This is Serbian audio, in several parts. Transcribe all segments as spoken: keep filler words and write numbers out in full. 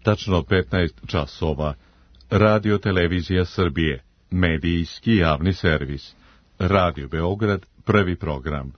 tačno petnaest časova. Radio Televizija Srbije, medijski javni servis. Radio Beograd, prvi program.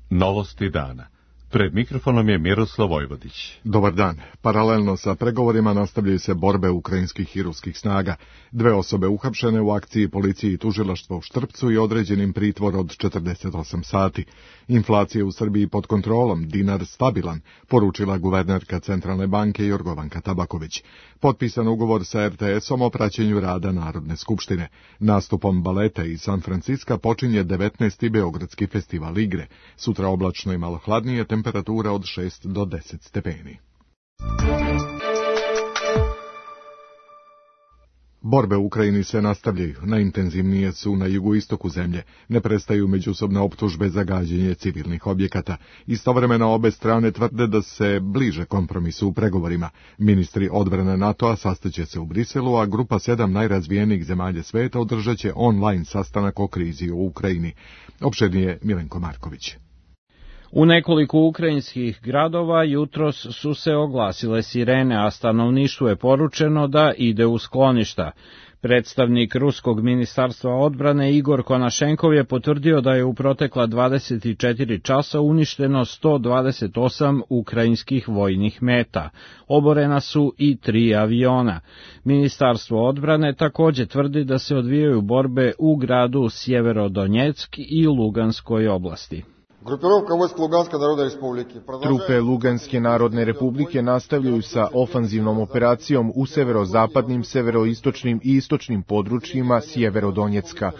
Novosti dana. Pred mikrofonom je Miroslav Vojvodić. Dobar dan. Paralelno sa pregovorima nastavljaju se borbe ukrajinskih i ruskih snaga. Dve osobe uhapšene u akciji policije i tužilaštva u Štrpcu i određenim pritvor od četrdeset osam sati. Inflacija u Srbiji pod kontrolom, dinar stabilan, poručila guvernerka Centralne banke Jorgovanka Tabaković. Potpisan ugovor sa er te esom o praćenju rada Narodne skupštine. Nastupom baleta iz San Franciska počinje devetnaesti Beogradski festival igre. Sutra oblačno i malo hladnije, temperatura od šest do deset stepeni. Borbe u Ukrajini se nastavljaju, najintenzivnije su na jugoistoku zemlje, ne prestaju međusobne optužbe za gađenje civilnih objekata. Istovremeno obe strane tvrde da se bliže kompromisu u pregovorima. Ministri odbrane NATO-a sastaće se u Briselu, a grupa sedam najrazvijenijih zemalja sveta održat će online sastanak o krizi u Ukrajini. Opširnije Milenko Marković. U nekoliko ukrajinskih gradova jutros su se oglasile sirene, a stanovništvu je poručeno da ide u skloništa. Predstavnik Ruskog ministarstva odbrane Igor Konašenkov je potvrdio da je u protekla dvadeset četiri časa uništeno sto dvadeset osam ukrajinskih vojnih meta. Oborena su i tri aviona. Ministarstvo odbrane takođe tvrdi da se odvijaju borbe u gradu Sjeverodonjeck i Luganskoj oblasti. Trupe Luganske narodne republike nastavljaju sa ofanzivnom operacijom u severozapadnim, severoistočnim i istočnim područjima Sjeverodonjecka.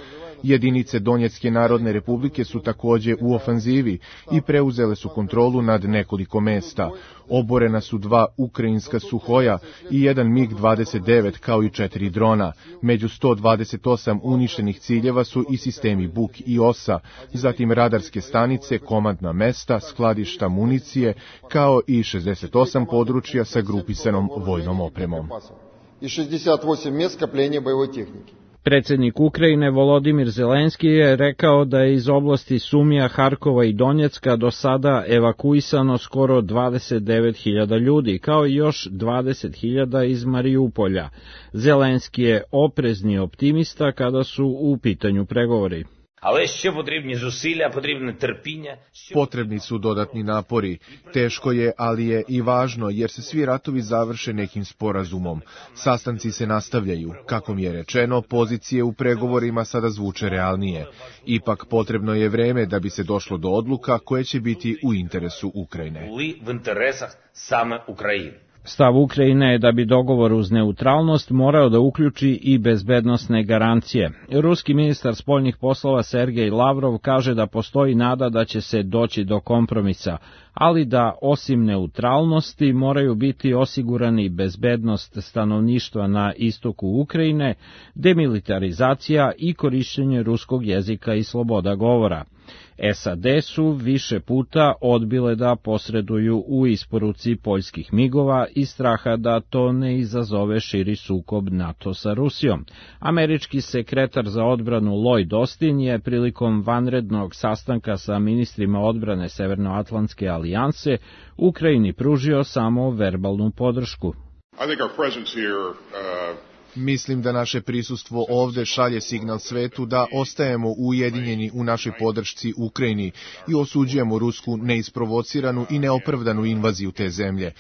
Jedinice Donjecke narodne republike su takođe u ofanzivi i preuzele su kontrolu nad nekoliko mesta. Oborena su dva ukrajinska suhoja i jedan mig dvadeset devet kao i četiri drona. Među sto dvadeset osam uništenih ciljeva su i sistemi Buk i Osa, zatim radarske stanice, komandna mesta, skladišta municije, kao i šezdeset osam područja sa grupisanom vojnom opremom. Predsednik Ukrajine Volodimir Zelenski je rekao da je iz oblasti Sumija, Harkova i Donjecka do sada evakuisano skoro dvadeset devet hiljada ljudi, kao i još dvadeset hiljada iz Mariupolja. Zelenski je oprezni optimista kada su u pitanju pregovori. Але ще потрібні зусилля, потрібне терпіння. Potrebni su dodatni napori. Teško je, ali je i važno, jer se svi ratovi završe nekim sporazumom. Sastanci se nastavljaju. Kako mi je rečeno, pozicije u pregovorima sada zvuče realnije. Ipak potrebno je vreme da bi se došlo do odluka koje će biti u interesu Ukrajine. В інтересах саме України. Stav Ukrajine je da bi dogovor uz neutralnost morao da uključi i bezbednosne garancije. Ruski ministar spoljnih poslova Sergej Lavrov kaže da postoji nada da će se doći do kompromisa, ali da osim neutralnosti moraju biti osigurani bezbednost stanovništva na istoku Ukrajine, demilitarizacija i korišćenje ruskog jezika i sloboda govora. es a de su više puta odbile da posreduju u isporuci poljskih migova iz straha da to ne izazove širi sukob NATO sa Rusijom. Američki sekretar za odbranu Lloyd Austin je prilikom vanrednog sastanka sa ministrima odbrane Severnoatlantske alijanse Ukrajini pružio samo verbalnu podršku. I think our presence here, uh... Mislim da naše prisustvo ovde šalje signal svetu da ostajemo ujedinjeni u našoj podršci Ukrajini i osuđujemo rusku neisprovociranu i neopravdanu invaziju te zemlje.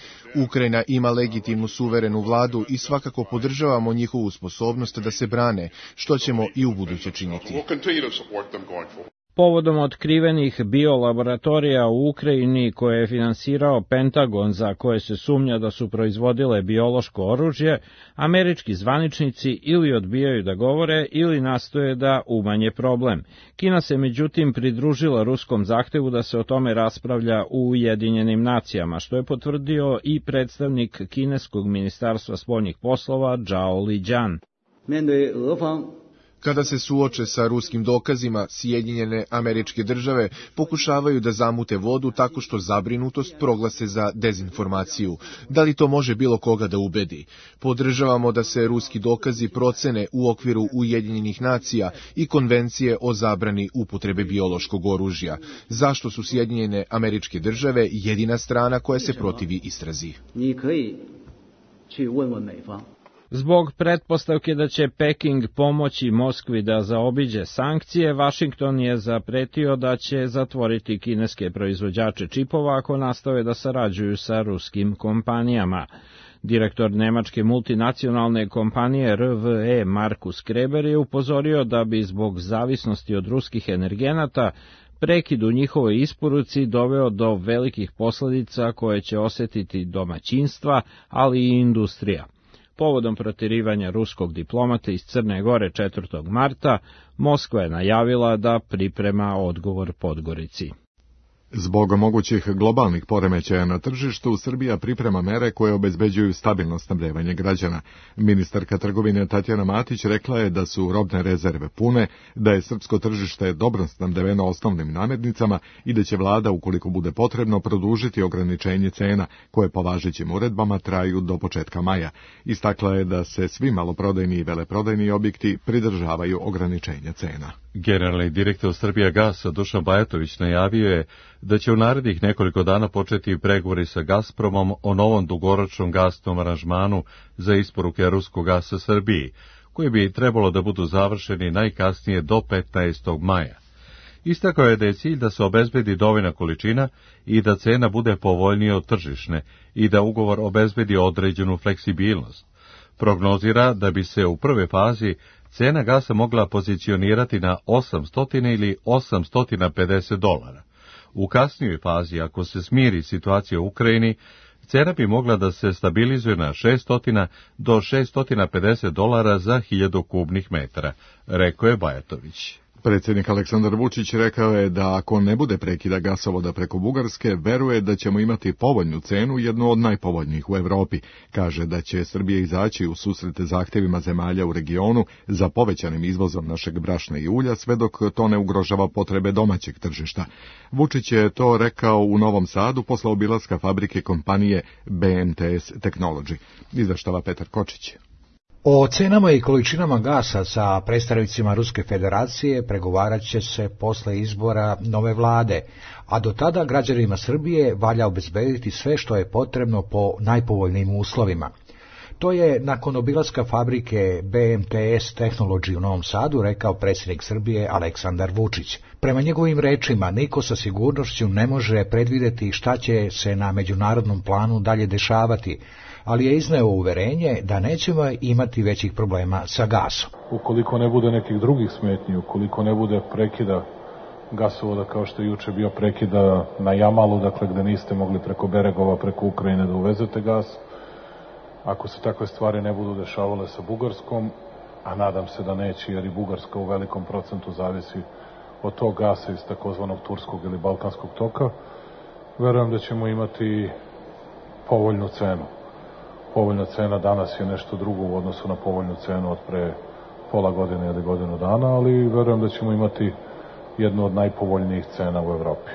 Ukrajina ima legitimnu suverenu vladu i svakako podržavamo njihovu sposobnost da se brane, što ćemo i u buduće činiti. Povodom otkrivenih biolaboratorija u Ukrajini koje je finansirao Pentagon, za koje se sumnja da su proizvodile biološko oružje, američki zvaničnici ili odbijaju da govore ili nastoje da umanje problem. Kina se međutim pridružila ruskom zahtevu da se o tome raspravlja u Ujedinjenim nacijama, što je potvrdio i predstavnik kineskog ministarstva spoljnih poslova Zhao Lijian. Kada se suoče sa ruskim dokazima, Sjedinjene Američke Države pokušavaju da zamute vodu tako što zabrinutost proglase za dezinformaciju. Da li to može bilo koga da ubedi? Podržavamo da se ruski dokazi procene u okviru Ujedinjenih nacija i konvencije o zabrani upotrebe biološkog oružja. Zašto su Sjedinjene Američke Države jedina strana koja se protivi istrazi? Zbog pretpostavke da će Peking pomoći Moskvi da zaobiđe sankcije, Vašington je zapretio da će zatvoriti kineske proizvođače čipova ako nastave da sarađuju sa ruskim kompanijama. Direktor nemačke multinacionalne kompanije R V E Markus Kreber je upozorio da bi zbog zavisnosti od ruskih energenata prekid u njihovoj isporuci doveo do velikih posledica koje će osetiti domaćinstva, ali i industrija. Povodom protirivanja ruskog diplomata iz Crne Gore četvrtog marta, Moskva je najavila da priprema odgovor Podgorici. Zbog mogućih globalnih poremećaja na tržištu, Srbija priprema mere koje obezbeđuju stabilno snabdevanje građana. Ministarka trgovine Tatjana Matić rekla je da su robne rezerve pune, da je srpsko tržište dobro snabdeveno osnovnim namirnicama i da će vlada, ukoliko bude potrebno, produžiti ograničenje cena, koje po važećim uredbama traju do početka maja. Istakla je da se svi maloprodajni i veleprodajni objekti pridržavaju ograničenja cena. Generalni direktor Srbijagasa Dušan Bajatović najavio je da će u narednih nekoliko dana početi pregovori sa Gazpromom o novom dugoročnom gasnom aranžmanu za isporuke ruskog gasa Srbiji, koji bi trebalo da budu završeni najkasnije do petnaestog maja. Istakao je da je cilj da se obezbedi dovoljna količina i da cena bude povoljnija od tržišne i da ugovor obezbedi određenu fleksibilnost. Prognozira da bi se u prvoj fazi cena gasa mogla pozicionirati na osamsto ili osamsto pedeset dolara. U kasnijoj fazi, ako se smiri situacija u Ukrajini, cena bi mogla da se stabilizuje na šesto do šesto pedeset dolara za hiljadu kubnih metara, rekao je Bajatović. Predsjednik Aleksandar Vučić rekao je da ako ne bude prekida gasovoda preko Bugarske, veruje da ćemo imati povoljnu cenu, jednu od najpovoljnijih u Evropi. Kaže da će Srbija izaći u susrete zahtjevima zemalja u regionu za povećanim izvozom našeg brašna i ulja, sve dok to ne ugrožava potrebe domaćeg tržišta. Vučić je to rekao u Novom Sadu posle obilaska fabrike kompanije B M T S Technology. Izveštava Petar Kočić. O cenama i količinama gasa sa predstavnicima Ruske federacije pregovarat će se posle izbora nove vlade, a do tada građanima Srbije valja obezbediti sve što je potrebno po najpovoljnijim uslovima. To je nakon obilaska fabrike B M T S Technology u Novom Sadu rekao predsjednik Srbije Aleksandar Vučić. Prema njegovim rečima, niko sa sigurnošću ne može predvideti šta će se na međunarodnom planu dalje dešavati, ali je izneo uverenje da nećemo imati većih problema sa gasom. Ukoliko ne bude nekih drugih smetnji, ukoliko ne bude prekida gasovoda kao što je juče bio prekida na Jamalu, dakle gde niste mogli preko Beregova, preko Ukrajine da uvezete gas, ako se takve stvari ne budu dešavale sa Bugarskom, a nadam se da neće, jer i Bugarska u velikom procentu zavisi od tog gasa iz takozvanog turskog ili balkanskog toka, verujem da ćemo imati povoljnu cenu. Povoljna cena danas je nešto drugo u odnosu na povoljnu cenu od pre pola godine ili godinu dana, ali verujem da ćemo imati jednu od najpovoljnijih cena u Evropi.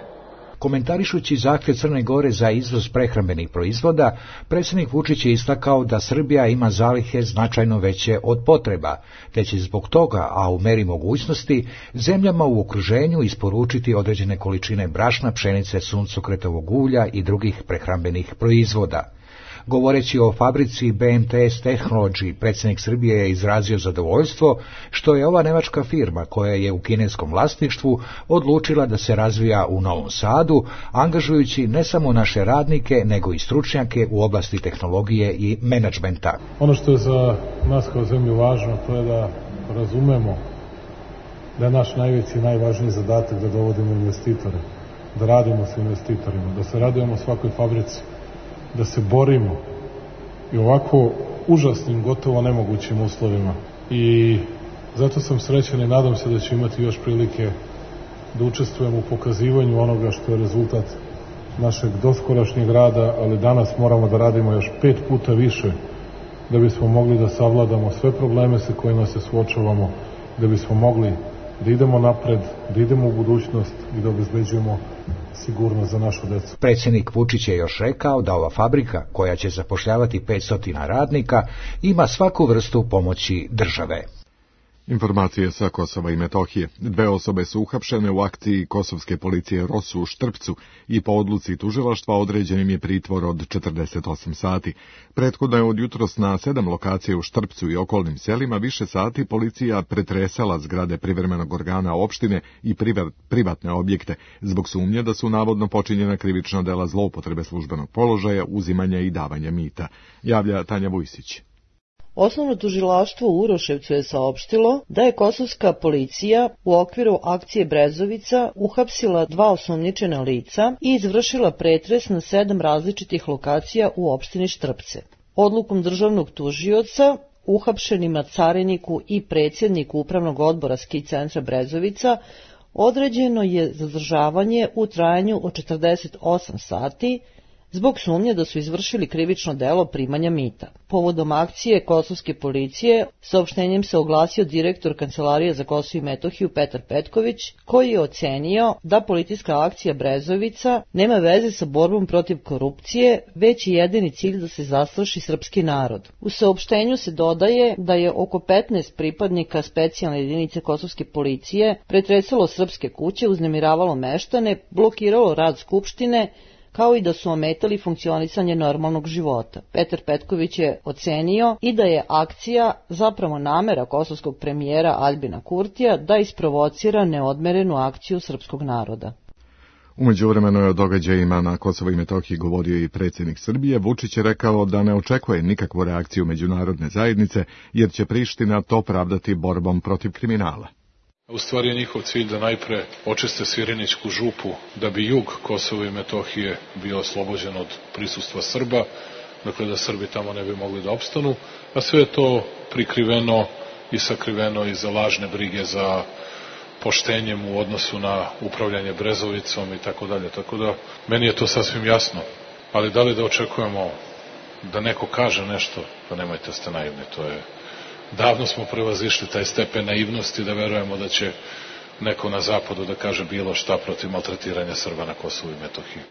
Komentarišući zahtjev Crne Gore za izvoz prehrambenih proizvoda, predsjednik Vučić je istakao da Srbija ima zalihe značajno veće od potreba, te će zbog toga, a u meri mogućnosti, zemljama u okruženju isporučiti određene količine brašna, pšenice, suncokretovog ulja i drugih prehrambenih proizvoda. Govoreći o fabrici B M T S Technology, predsjednik Srbije je izrazio zadovoljstvo što je ova nemačka firma, koja je u kineskom vlasništvu, odlučila da se razvija u Novom Sadu, angažujući ne samo naše radnike, nego i stručnjake u oblasti tehnologije i menadžmenta. Ono što je za nas kao zemlju važno, to je da razumemo da je naš najveći i najvažniji zadatak da dovodimo investitore, da radimo sa investitorima, da se radujemo svakoj fabrici, da se borimo i ovako užasnim, gotovo nemogućim uslovima. I zato sam srećan i nadam se da ću imati još prilike da učestvujem u pokazivanju onoga što je rezultat našeg doskorašnjeg rada, ali danas moramo da radimo još pet puta više da bismo mogli da savladamo sve probleme sa kojima se suočavamo da bismo mogli da idemo napred, da idemo u budućnost i da obezbeđujemo sigurnost za našu decu. Predsjednik Vučić je još rekao da ova fabrika, koja će zapošljavati petsto radnika, ima svaku vrstu pomoći države. Informacije sa Kosova i Metohije. Dve osobe su uhapšene u akciji kosovske policije Rosu u Štrpcu i po odluci tužilaštva određen im je pritvor od četrdeset osam sati. Prethodno je od jutros na sedam lokacija u Štrpcu i okolnim selima više sati policija pretresala zgrade privremenog organa opštine i privatne objekte zbog sumnje da su navodno počinjena krivična dela zloupotrebe službenog položaja, uzimanja i davanja mita. Javlja Tanja Vujsić. Osnovno tužilaštvo u Uroševcu je saopštilo da je kosovska policija u okviru akcije Brezovica uhapsila dva osumnjičena lica i izvršila pretres na sedam različitih lokacija u opštini Štrpce. Odlukom državnog tužioca uhapšenima cariniku i predsjedniku upravnog odbora ski centra Brezovica određeno je zadržavanje u trajanju od četrdeset osam sati zbog sumnje da su izvršili krivično delo primanja mita. Povodom akcije kosovske policije saopštenjem se oglasio direktor Kancelarije za Kosovo i Metohiju Petar Petković, koji je ocenio da policijska akcija Brezovica nema veze sa borbom protiv korupcije, već je jedini cilj da se zastraši srpski narod. U saopštenju se dodaje da je oko petnaest pripadnika specijalne jedinice kosovske policije pretresalo srpske kuće, uznemiravalo meštane, blokiralo rad skupštine, kao i da su ometali funkcionisanje normalnog života. Petar Petković je ocenio i da je akcija zapravo namera kosovskog premijera Aljbina Kurtija da isprovocira neodmerenu akciju srpskog naroda. U međuvremenu je o događajima na Kosovo i Metohiji govorio i predsjednik Srbije. Vučić je rekao da ne očekuje nikakvu reakciju međunarodne zajednice, jer će Priština to pravdati borbom protiv kriminala. U stvari je njihov cilj da najpre očiste Svirinićku župu, da bi jug Kosova i Metohije bio oslobođen od prisustva Srba, dakle da Srbi tamo ne bi mogli da opstanu, a sve je to prikriveno i sakriveno iza lažne brige za poštenjem u odnosu na upravljanje Brezovicom i tako dalje. Tako da, meni je to sasvim jasno, ali da li da očekujemo da neko kaže nešto, pa nemojte ste naivni, to je... Davno smo prevazišli taj stepen naivnosti da verujemo da će neko na zapadu da kaže bilo šta protiv maltretiranja Srba na Kosovu i Metohiji.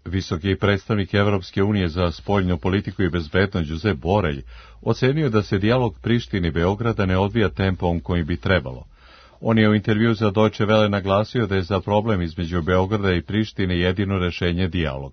Visoki predstavnik Evropske unije za spoljnu politiku i bezbednost Josep Borelj ocenio da se dijalog Prištine i Beograda ne odvija tempom kojim bi trebalo. On je u intervju za Deutsche Welle naglasio da je za problem između Beograda i Prištine jedino rešenje dijalog.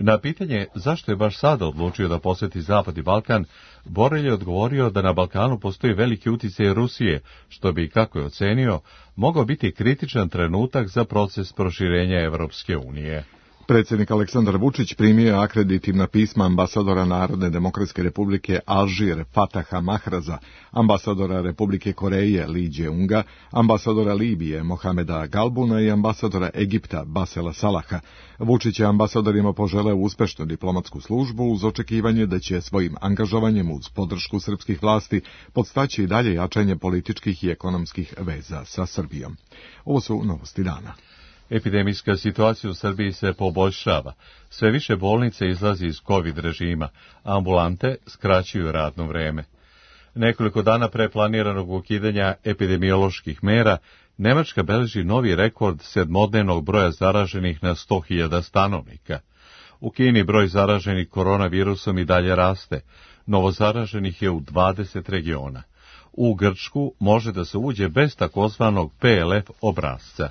Na pitanje zašto je baš sada odlučio da poseti Zapad i Balkan, Borelj je odgovorio da na Balkanu postoji veliki uticaj Rusije, što bi, kako je ocenio, mogao biti kritičan trenutak za proces proširenja Evropske unije. Predsjednik Aleksandar Vučić primio je akreditivna pisma ambasadora Narodne demokratske republike Alžir Fataha Mahraza, ambasadora Republike Koreje Li Djeunga, ambasadora Libije Mohameda Galbuna i ambasadora Egipta Basela Salaha. Vučić je ambasadorima poželeo uspešnu diplomatsku službu uz očekivanje da će svojim angažovanjem uz podršku srpskih vlasti podstaći i dalje jačanje političkih i ekonomskih veza sa Srbijom. Ovo su novosti dana. Epidemijska situacija u Srbiji se poboljšava. Sve više bolnice izlazi iz COVID režima, a ambulante skraćuju radno vreme. Nekoliko dana pre planiranog ukidanja epidemioloških mera, Nemačka beleži novi rekord sedmodnevnog broja zaraženih na sto hiljada stanovnika. U Kini broj zaraženih koronavirusom i dalje raste. Novozaraženih je u dvadeset regiona. U Grčku može da se uđe bez takozvanog P L F obrasca.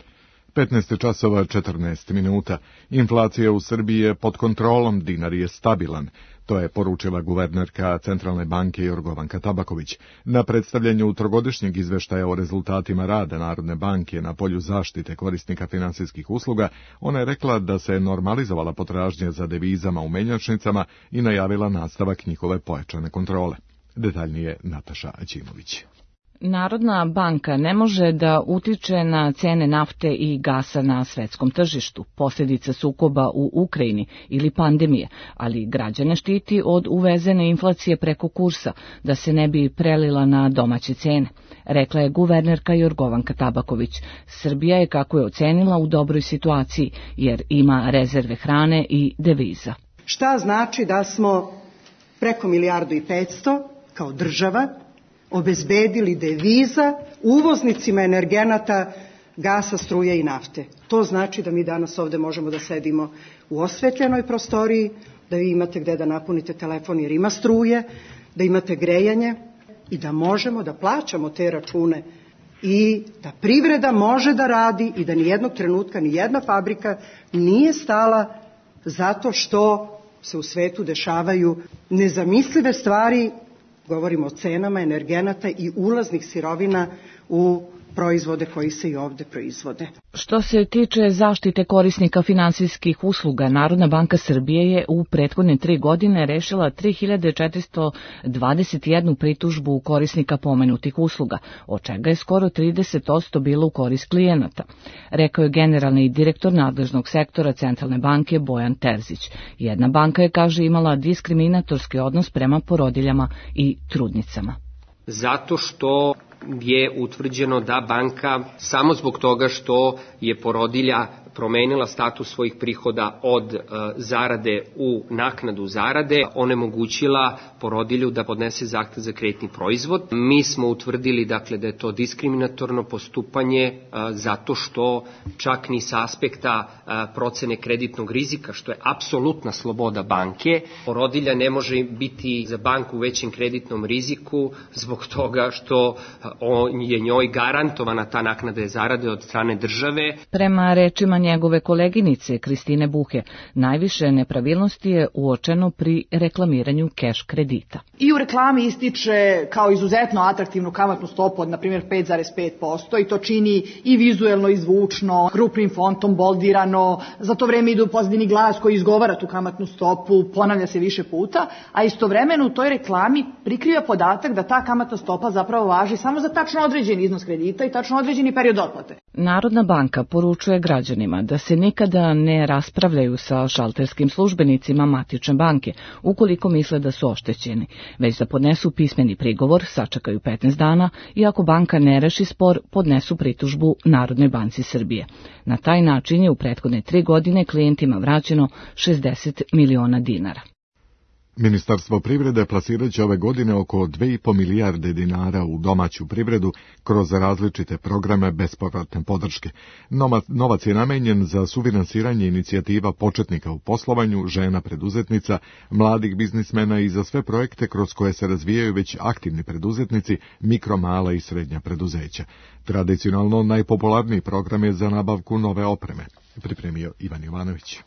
petnaest časova četrnaest minuta. Inflacija u Srbiji je pod kontrolom, dinar je stabilan. To je poručila guvernerka Centralne banke Jorgovanka Tabaković. Na predstavljanju trogodišnjeg izveštaja o rezultatima rada Narodne banke na polju zaštite korisnika finansijskih usluga, ona je rekla da se normalizovala potražnja za devizama u menjačnicama i najavila nastavak njihove pojačane kontrole. Detaljnije Nataša Aćimović. Narodna banka ne može da utiče na cene nafte i gasa na svetskom tržištu, posljedica sukoba u Ukrajini ili pandemije, ali građane štiti od uvezene inflacije preko kursa, da se ne bi prelila na domaće cene, rekla je guvernerka Jorgovanka Tabaković. Srbija je, kako je ocenila, u dobroj situaciji, jer ima rezerve hrane i deviza. Šta znači da smo preko milijardu i petsto kao država obezbedili deviza uvoznicima energenata, gasa, struje i nafte. To znači da mi danas ovde možemo da sedimo u osvetljenoj prostoriji, da vi imate gde da napunite telefon jer ima struje, da imate grejanje i da možemo da plaćamo te račune i da privreda može da radi i da nijednog trenutka nijedna fabrika nije stala zato što se u svetu dešavaju nezamislive stvari, govorimo o cenama energenata i ulaznih sirovina u proizvode koji se i ovde proizvode. Što se tiče zaštite korisnika finansijskih usluga, Narodna banka Srbije je u prethodne tri godine rešila tri hiljade četiristo dvadeset jednu pritužbu korisnika pomenutih usluga, od čega je skoro trideset posto bilo u korist klijenata, rekao je generalni direktor nadležnog sektora Centralne banke Bojan Terzić. Jedna banka je, kaže, imala diskriminatorski odnos prema porodiljama i trudnicama. Zato što je utvrđeno da banka samo zbog toga što je porodilja promenila status svojih prihoda od e, zarade u naknadu zarade, onemogućila porodilju da podnese zahtev za kreditni proizvod. Mi smo utvrdili dakle da je to diskriminatorno postupanje e, zato što čak ni sa aspekta e, procene kreditnog rizika, što je apsolutna sloboda banke, porodilja ne može biti za banku u većem kreditnom riziku zbog toga što on je njoj garantovana ta naknada zarade od strane države. Prema rečima njegove koleginice Kristine Buhe, najviše nepravilnosti je uočeno pri reklamiranju keš kredita. I u reklami ističe kao izuzetno atraktivnu kamatnu stopu od, na primjer, pet zarez pet posto i to čini i vizuelno i zvučno, krupnim fontom, boldirano, za to vreme ide u pozadini glas koji izgovara tu kamatnu stopu, ponavlja se više puta, a istovremeno u toj reklami prikriva podatak da ta kamatna stopa zapravo važi samo za tačno određeni iznos kredita i tačno određeni period otplate. Narodna banka poručuje građanima da se nikada ne raspravljaju sa šalterskim službenicima matične banke ukoliko misle da su oštećeni, već da podnesu pismeni prigovor, sačekaju petnaest dana i ako banka ne reši spor, podnesu pritužbu Narodnoj banci Srbije. Na taj način je u prethodne tri godine klijentima vraćeno šezdeset miliona dinara. Ministarstvo privrede plasirat će ove godine oko dve i po milijarde dinara u domaću privredu kroz različite programe bespovratne podrške. Novac je namenjen za sufinansiranje inicijativa početnika u poslovanju, žena preduzetnica, mladih biznismena i za sve projekte kroz koje se razvijaju već aktivni preduzetnici, mikro, mala i srednja preduzeća. Tradicionalno najpopularniji program je za nabavku nove opreme, pripremio Ivan Jovanović.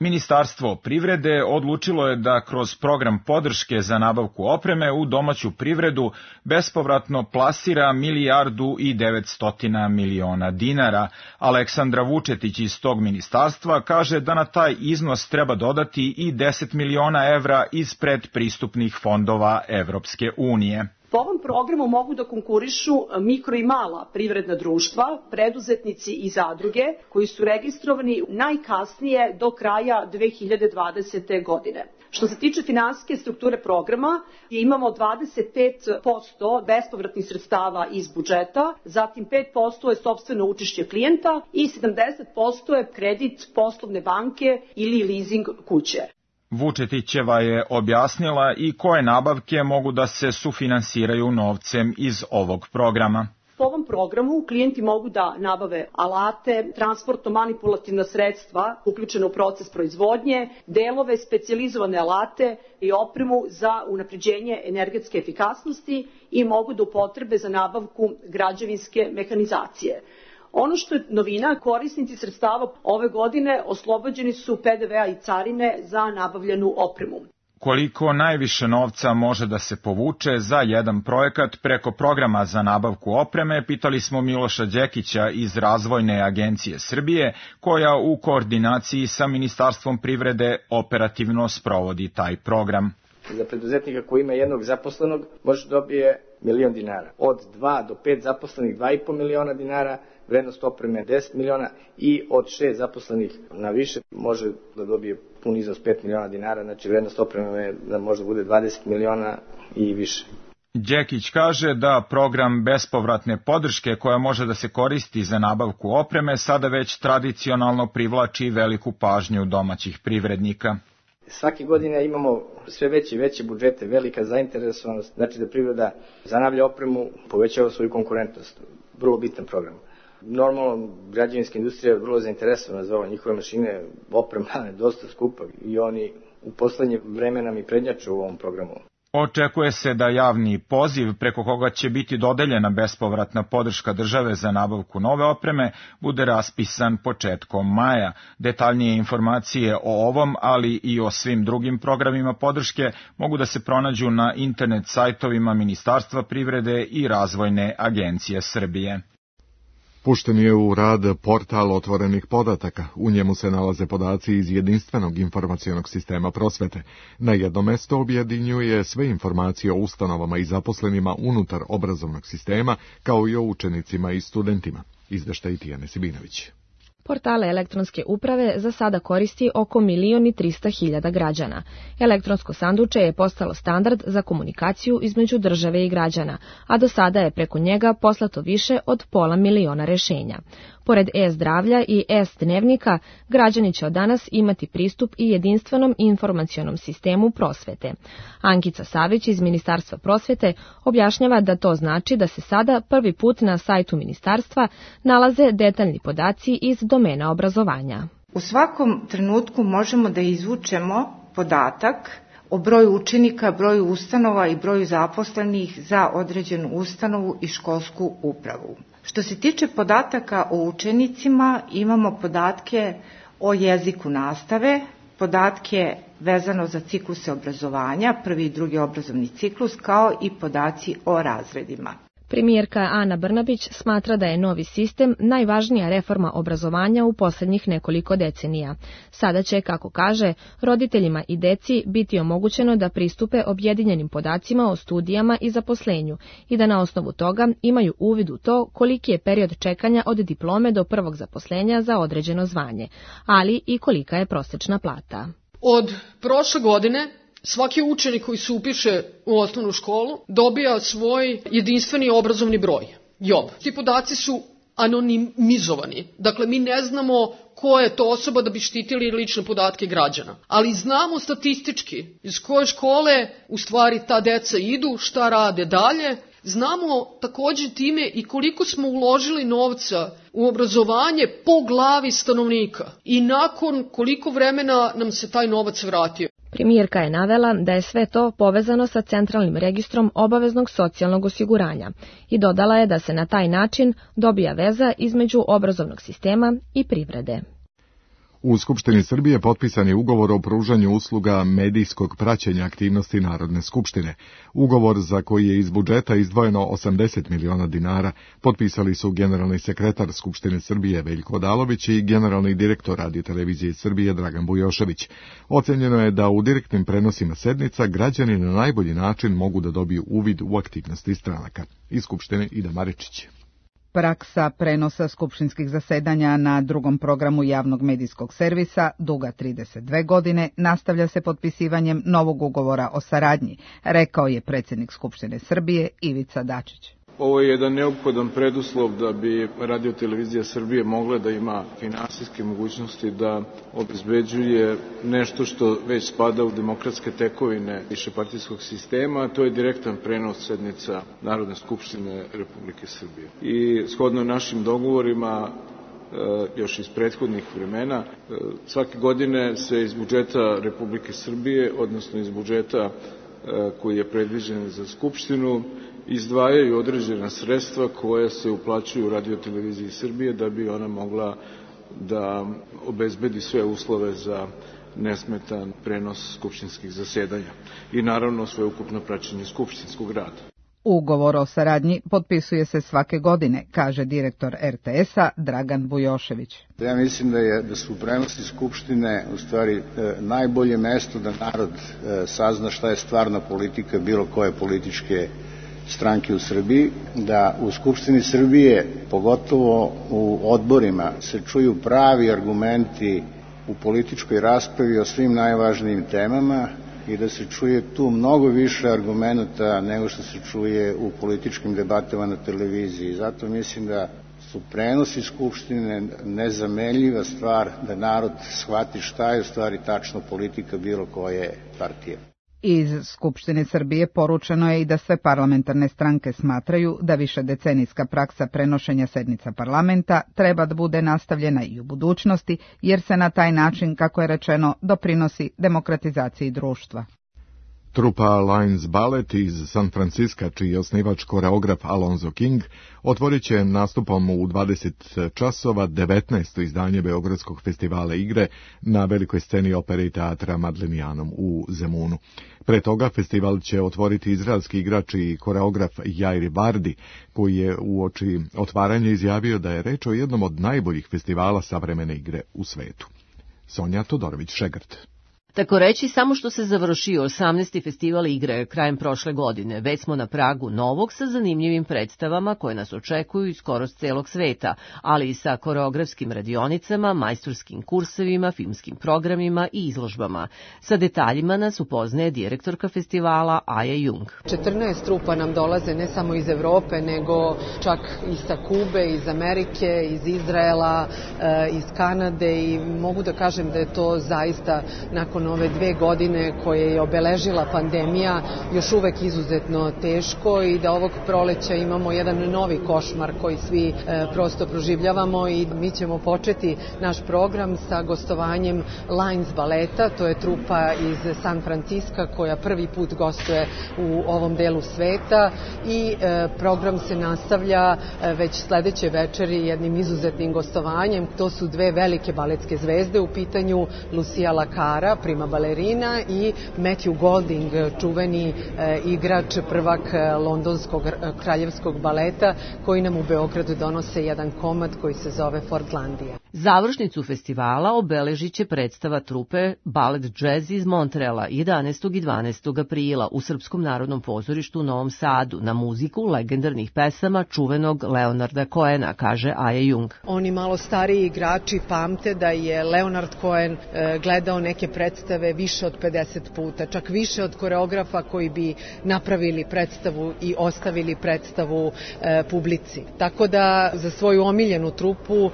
Ministarstvo privrede odlučilo je da kroz program podrške za nabavku opreme u domaću privredu bespovratno plasira milijardu i devetsto miliona dinara. Aleksandra Vučetić iz tog ministarstva kaže da na taj iznos treba dodati i deset miliona evra iz predpristupnih fondova Evropske unije. Po ovom programu mogu da konkurišu mikro i mala privredna društva, preduzetnici i zadruge koji su registrovani najkasnije do kraja dve hiljade dvadesete. godine. Što se tiče finansijske strukture programa, imamo dvadeset pet posto bespovratnih sredstava iz budžeta, zatim pet posto je sopstveno učešće klijenta i sedamdeset posto je kredit poslovne banke ili leasing kuće. Vučetićeva je objasnila i koje nabavke mogu da se sufinansiraju novcem iz ovog programa. Po ovom programu klijenti mogu da nabave alate, transportno-manipulativna sredstva uključena u proces proizvodnje, delove, specijalizovane alate i opremu za unapređenje energetske efikasnosti i mogu da upotrebe za nabavku građevinske mehanizacije. Ono što je novina, korisnici sredstava ove godine oslobođeni su pe de vea i carine za nabavljenu opremu. Koliko najviše novca može da se povuče za jedan projekat preko programa za nabavku opreme, pitali smo Miloša Đekića iz Razvojne agencije Srbije, koja u koordinaciji sa Ministarstvom privrede operativno sprovodi taj program. Za preduzetnika koji ima jednog zaposlenog može dobije milion dinara. Od dva do pet zaposlenih dva i po miliona dinara, vrednost opreme deset miliona i od šest zaposlenih na više može da dobije pun iznos pet miliona dinara, znači vrednost opreme da može bude dvadeset miliona i više. Đekić kaže da program bespovratne podrške koja može da se koristi za nabavku opreme sada već tradicionalno privlači veliku pažnju domaćih privrednika. Svake godine imamo sve veće i veće budžete, velika zainteresovanost, znači da privreda zanavlja opremu, povećava svoju konkurentnost. Vrlo bitan program. Normalno, građevinska industrija je vrlo zainteresovana za ovo, njihove mašine, oprema je dosta skupa i oni u poslednje vreme nam i prednjaču u ovom programu. Očekuje se da javni poziv preko koga će biti dodeljena bespovratna podrška države za nabavku nove opreme bude raspisan početkom maja. Detaljnije informacije o ovom, ali i o svim drugim programima podrške mogu da se pronađu na internet sajtovima Ministarstva privrede i Razvojne agencije Srbije. Pušten je u rad portal otvorenih podataka. U njemu se nalaze podaci iz jedinstvenog informacionog sistema prosvete. Na jedno mesto objedinjuje sve informacije o ustanovama i zaposlenima unutar obrazovnog sistema, kao i o učenicima i studentima. Izveštaj Tijane Sibinović. Portale elektronske uprave za sada koristi oko milion i trista hiljada građana. Elektronsko sanduče je postalo standard za komunikaciju između države i građana, a do sada je preko njega poslato više od pola miliona rešenja. Pored e-zdravlja i e-dnevnika, građani će od danas imati pristup i jedinstvenom informacionom sistemu prosvete. Ankica Savić iz Ministarstva prosvete objašnjava da to znači da se sada prvi put na sajtu ministarstva nalaze detaljni podaci iz domena obrazovanja. U svakom trenutku možemo da izvučemo podatak o broju učenika, broju ustanova i broju zaposlenih za određenu ustanovu i školsku upravu. Što se tiče podataka o učenicima, imamo podatke o jeziku nastave, podatke vezano za cikluse obrazovanja, prvi i drugi obrazovni ciklus, kao i podaci o razredima. Premijerka Ana Brnabić smatra da je novi sistem najvažnija reforma obrazovanja u poslednjih nekoliko decenija. Sada će, kako kaže, roditeljima i deci biti omogućeno da pristupe objedinjenim podacima o studijama i zaposlenju i da na osnovu toga imaju uvid u to koliki je period čekanja od diplome do prvog zaposlenja za određeno zvanje, ali i kolika je prosečna plata. Od prošle godine svaki učenik koji se upiše u osnovnu školu dobija svoj jedinstveni obrazovni broj, J O B. Ti podaci su anonimizovani, dakle mi ne znamo ko je to osoba da bi štitili lične podatke građana, ali znamo statistički iz koje škole u stvari ta deca idu, šta rade dalje. Znamo takođe time i koliko smo uložili novca u obrazovanje po glavi stanovnika i nakon koliko vremena nam se taj novac vratio. Premijerka je navela da je sve to povezano sa centralnim registrom obaveznog socijalnog osiguranja i dodala je da se na taj način dobija veza između obrazovnog sistema i privrede. U Skupštini Srbije potpisan je ugovor o pružanju usluga medijskog praćenja aktivnosti Narodne skupštine. Ugovor za koji je iz budžeta izdvojeno osamdeset miliona dinara potpisali su generalni sekretar Skupštine Srbije Veljko Odalović i generalni direktor Radio-televizije Srbije Dragan Bujošević. Ocenjeno je da u direktnim prenosima sednica građani na najbolji način mogu da dobiju uvid u aktivnosti stranaka. Iz Skupštine Ida Maričić. Praksa prenosa skupštinskih zasedanja na drugom programu javnog medijskog servisa, duga trideset dve godine, nastavlja se potpisivanjem novog ugovora o saradnji, rekao je predsjednik Skupštine Srbije Ivica Dačić. Ovo je jedan neophodan preduslov da bi Radio-televizija Srbije mogla da ima finansijske mogućnosti da obezbeđuje nešto što već spada u demokratske tekovine višepartijskog sistema, a to je direktan prenos sednica Narodne skupštine Republike Srbije. I shodno našim dogovorima još iz prethodnih vremena, svake godine se iz budžeta Republike Srbije, odnosno iz budžeta koji je predviđen za Skupštinu, izdvajaju određena sredstva koja se uplaćuju Radio-televiziji Srbije da bi ona mogla da obezbedi sve uslove za nesmetan prenos skupštinskih zasedanja i naravno sveukupno praćenje skupštinskog rada. Ugovor o saradnji potpisuje se svake godine, kaže direktor er te es-a Dragan Bujošević. Ja mislim da, je, da su prenosi Skupštine u stvari e, najbolje mesto da narod e, sazna šta je stvarna politika bilo koje političke stranke u Srbiji, da u Skupštini Srbije, pogotovo u odborima, se čuju pravi argumenti u političkoj raspravi o svim najvažnijim temama i da se čuje tu mnogo više argumenata nego što se čuje u političkim debatama na televiziji. Zato mislim da su prenosi Skupštine nezamenljiva stvar da narod shvati šta je u stvari tačno politika bilo koje partije. Iz Skupštine Srbije poručeno je i da sve parlamentarne stranke smatraju da višedecenijska praksa prenošenja sednica parlamenta treba da bude nastavljena i u budućnosti, jer se na taj način, kako je rečeno, doprinosi demokratizaciji društva. Trupa Lions Ballet iz San Francisca, čiji je osnivač koreograf Alonzo King, otvorit će nastupom u dvadeset časova devetnaesto izdanje Beogradskog festivala igre na velikoj sceni opere i teatra Madlenijanom u Zemunu. Pre toga festival će otvoriti izraelski igrač i koreograf Jair Vardi, koji je uoči otvaranja izjavio da je reč o jednom od najboljih festivala savremene igre u svetu. Sonja Todorović-Šegrt. Tako reći, samo što se završio osamnaesti festival igre krajem prošle godine, već smo na pragu novog sa zanimljivim predstavama koje nas očekuju iz skoro s celog sveta, ali i sa koreografskim radionicama, majstorskim kursevima, filmskim programima i izložbama. Sa detaljima nas upoznaje direktorka festivala Aja Jung. četrnaest trupa nam dolaze ne samo iz Evrope, nego čak i sa Kube, iz Amerike, iz Izraela, iz Kanade i mogu da kažem da je to zaista nakon ove dve godine koje je obeležila pandemija još uvek izuzetno teško i da ovog proleća imamo jedan novi košmar koji svi e, prosto proživljavamo i mi ćemo početi naš program sa gostovanjem Lions baleta, to je trupa iz San Francisca koja prvi put gostuje u ovom delu sveta i e, program se nastavlja e, već sledeće večeri jednim izuzetnim gostovanjem. To su dve velike baletske zvezde u pitanju, Lucia Lacara, prima balerina i Matthew Golding, čuveni e, igrač, prvak londonskog kraljevskog baleta, koji nam u Beogradu donose jedan komad koji se zove Fordlandija. Završnicu festivala obeležit će predstava trupe Ballet Jazz iz Montreala jedanaestog i dvanaestog aprila u Srpskom narodnom pozorištu u Novom Sadu na muziku legendarnih pesama čuvenog Leonarda Cohena, kaže Aja Jung. Oni malo stariji igrači pamte da je Leonard Cohen e, gledao neke predstave više od pedeset puta, čak više od koreografa koji bi napravili predstavu i ostavili predstavu e, publici. Tako da za svoju omiljenu trupu e,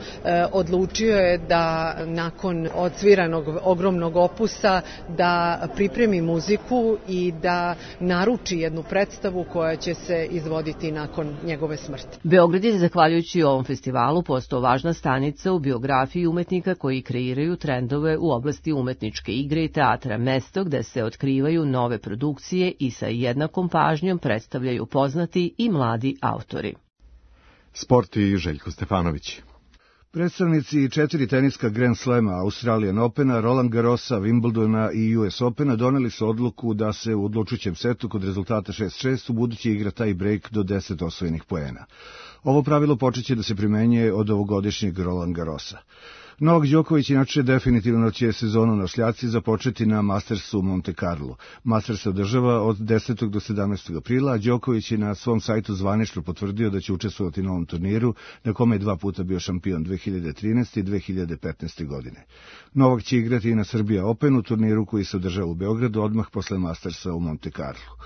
odlučio je da nakon odsviranog ogromnog opusa da pripremi muziku i da naruči jednu predstavu koja će se izvoditi nakon njegove smrti. Beograd je, zahvaljujući ovom festivalu, postao važna stanica u biografiji umetnika koji kreiraju trendove u oblasti umetničke igre i teatra, mesto gde se otkrivaju nove produkcije i sa jednakom pažnjom predstavljaju poznati i mladi autori. Sport i Željko Stefanović. Predstavnici četiri teniska Grand Slema, Australian Opena, Roland Garrosa, Wimbledona i U S Opena doneli su odluku da se u odlučujućem setu kod rezultata šest šest u budući igra taj break do deset osvojenih poena. Ovo pravilo počeće da se primenjuje od ovogodišnjeg Roland Garrosa. Novak Đoković inače definitivno će sezonu na šljaci započeti na Mastersu u Monte Carlo. Masters se održava od desetog do sedamnaestog aprila, a Đoković je na svom sajtu zvanično potvrdio da će učestvovati na ovom turniru, na kome je dva puta bio šampion dve hiljade trinaeste i dve hiljade petnaeste. godine. Novak će igrati i na Serbia Openu, turniru koji se održava u Beogradu odmah posle Mastersa u Monte Carlo.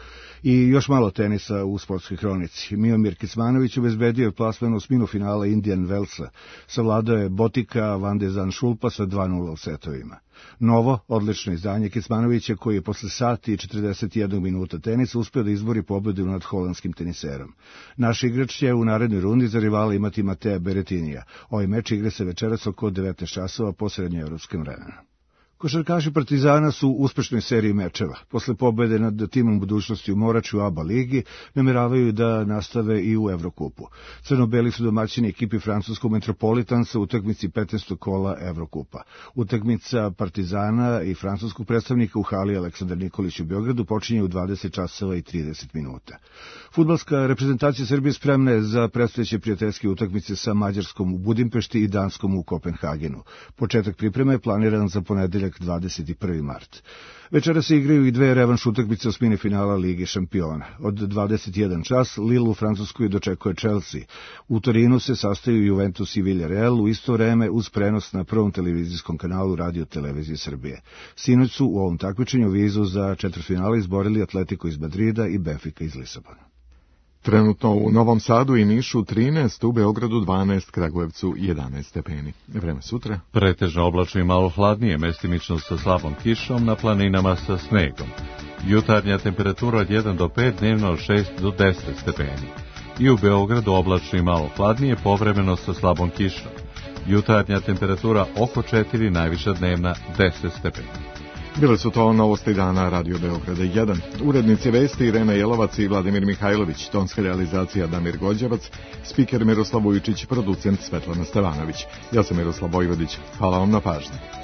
I još malo tenisa u sportskoj hronici. Miomir Kecmanović obezbedio je plasman osminu finala Indian Wellsa. Savladao je Botika Van de Zandschulpa sa dva nula u setovima. Novo, odlično izdanje Kecmanovića, koji je posle sati i četrdeset jednog minuta tenisa uspeo da izbori pobedu nad holandskim teniserom. Naš igrač će u narednoj rundi za rivala imati Matea Beretinija. Ovaj meč igre se večeras oko devetnaest časova po srednjoevropskom vremenu. Košarkaši Partizana su u uspešnoj seriji mečeva. Posle pobede nad timom budućnosti u Morači u A B A ligi nameravaju da nastave i u Evrokupu. Crno-beli su domaćini ekipi francuskog Metropolitansa u utakmici petnaestog kola Evrokupa. Utakmica Partizana i francuskog predstavnika u hali Aleksandar Nikolić u Beogradu počinje u dvadeset časova i trideset minuta. Fudbalska reprezentacija Srbije spremna je za predstojeće prijateljske utakmice sa Mađarskom u Budimpešti i Danskom u Kopenhagenu. Početak pripreme je planiran za ponedeljak četvrtak dvadeset prvi mart. Večera se igraju i dve revanš utakmice osmine finala Lige šampiona. Od dvadeset jedan čas Lille u Francuskoj dočekuje Chelsea. U Torinu se sastaju Juventus i Villarreal u isto vreme uz prenos na prvom televizijskom kanalu Radio Televizije Srbije. Sinoć su u ovom takmičenju vizu za četvrtfinale izborili Atletico iz Madrida i Benfica iz Lisabona. Trenutno u Novom Sadu i Nišu trinaest, u Beogradu dvanaest, Kragujevcu jedanaest stepeni. Vreme sutra. Pretežno oblačno i malo hladnije, mestimično sa slabom kišom, na planinama sa snegom. Jutarnja temperatura od jedan do pet, dnevno od šest do deset stepeni. I u Beogradu oblačno i malo hladnije, povremeno sa slabom kišom. Jutarnja temperatura oko četiri, najviša dnevna deset stepeni. Bile su to novosti dana Radio Beograda jedan. Urednici vesti Irena Jelovac i Vladimir Mihajlović, tonska realizacija Damir Gođevac, spiker Miroslav Vujčić, producent Svetlana Stevanović. Ja sam Miroslav Vojvodić. Hvala vam na pažnji.